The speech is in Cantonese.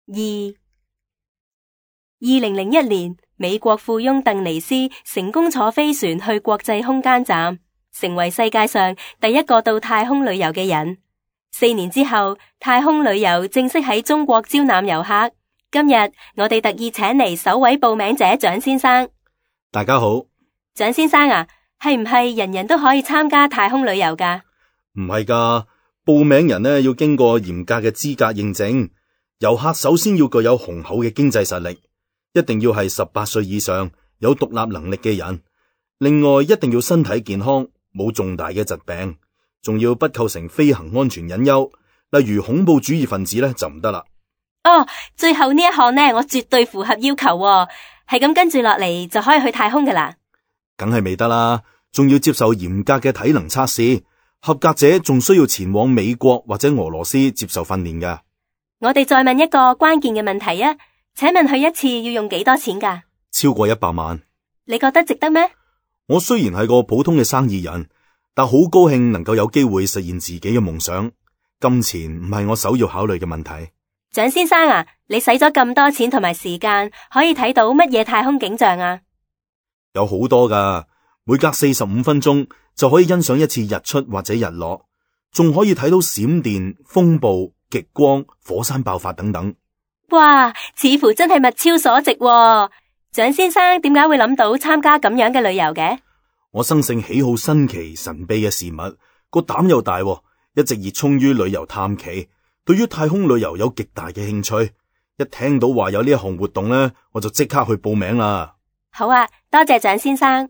2001年，美國富翁鄧尼斯成功坐飛船去國際空間站，成為世界上第一個到太空旅遊嘅人。4年之後，太空旅遊正式喺中國招攬遊客。今日我哋特意請嚟首位報名者蔣先生。大家好。蔣先生啊，係唔係人人都可以參加太空旅遊㗎？唔係㗎，報名人呢要經過嚴格嘅資格認證。遊客首先要具有雄厚嘅經濟實力，一定要係18歲以上，有獨立能力嘅人。另外，一定要身體健康，冇重大嘅疾病，仲要不構成飛行安全隱憂，例如恐怖主義分子呢就唔得啦。哦，最後呢一項呢，我絕對符合要求喎，係咁跟住落嚟就可以去太空㗎啦。梗係未得啦，仲要接受嚴格嘅體能測試，合格者仲需要前往美國或者俄羅斯接受訓練㗎。我哋再問一個關鍵嘅問題啊，請問去一次要用幾多錢㗎？超過100萬。你覺得值得咩？我雖然係個普通嘅生意人，但好高興能夠有機會實現自己嘅夢想。金錢唔係我首要考慮嘅問題。蔣先生啊，你使咗咁多錢同埋時間，可以睇到乜嘢太空景象啊？有好多㗎，每隔45分鐘就可以欣賞一次日出或者日落，仲可以睇到閃電、風暴、極光、火山爆發等等。哇，似乎真係物超所值喎。蔣先生點解會諗到參加咁樣嘅旅遊嘅？我生性喜好新奇神秘嘅事物，個膽又大，一直熱衷於旅遊探奇，對於太空旅遊有極大嘅興趣。一聽到話有呢一項活動呢，我就即刻去報名啦。好啊，多謝蔣先生。